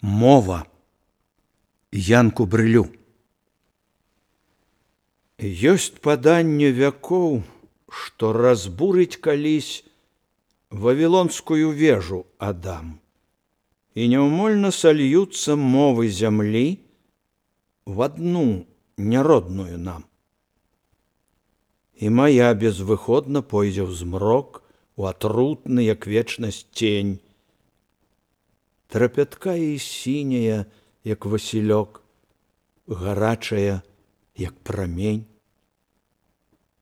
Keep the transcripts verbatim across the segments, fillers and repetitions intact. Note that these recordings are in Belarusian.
Мова. Янку Брылю. Ёсць паданне вякоў, што разбурыць калісь вавілонскую вежу Адам, і няўмольна сольюцца мовы зямлі в одну няродную нам. І моя безвыходна пойдзе ў змрок, у атрутны, як вечнасць тень, трапяткая і сіняя, як васілёк, гарачая, як прамень.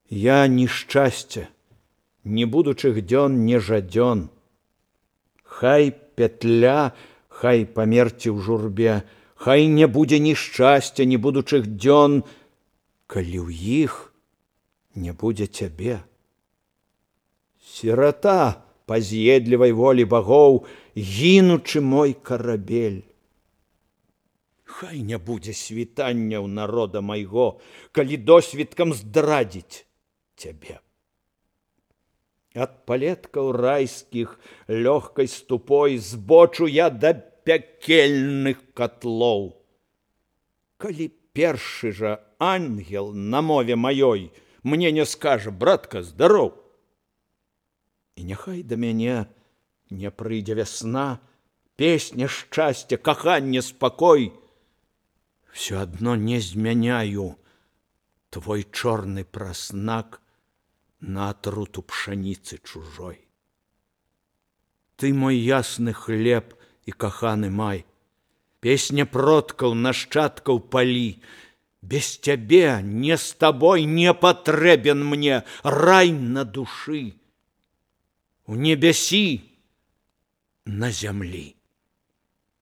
Я ні шчасця, ні будучых дзён не жадзён. Хай петля, хай памерці ў журбе, хай не будзе ні шчасця, ні будучых дзён, калі ў іх не будзе цябе. Сірата па з'едлівай волі багоў, гінучы мой карабель. Хай не будзе світання ў народа майго, калі досвіткам здрадзіць цябе. Ад палеткаў райскіх лёгкай ступой збочу я да пякельных котлоў. Калі першы жа ангел на мове маёй мне не скажа: братка, здароў. І няхай да мяне не прыйдзе вясна, песня шчасця, каханне, спакой. Всё адно не змяняю твой чорны праснак на атруту пшаніцы чужой. Ты мой ясны хлеб і каханы май, песня продкаў, нашчадкаў палі. Без цябе, не з табой не патрэбен мне рай на душы, у небясі, на зямлі.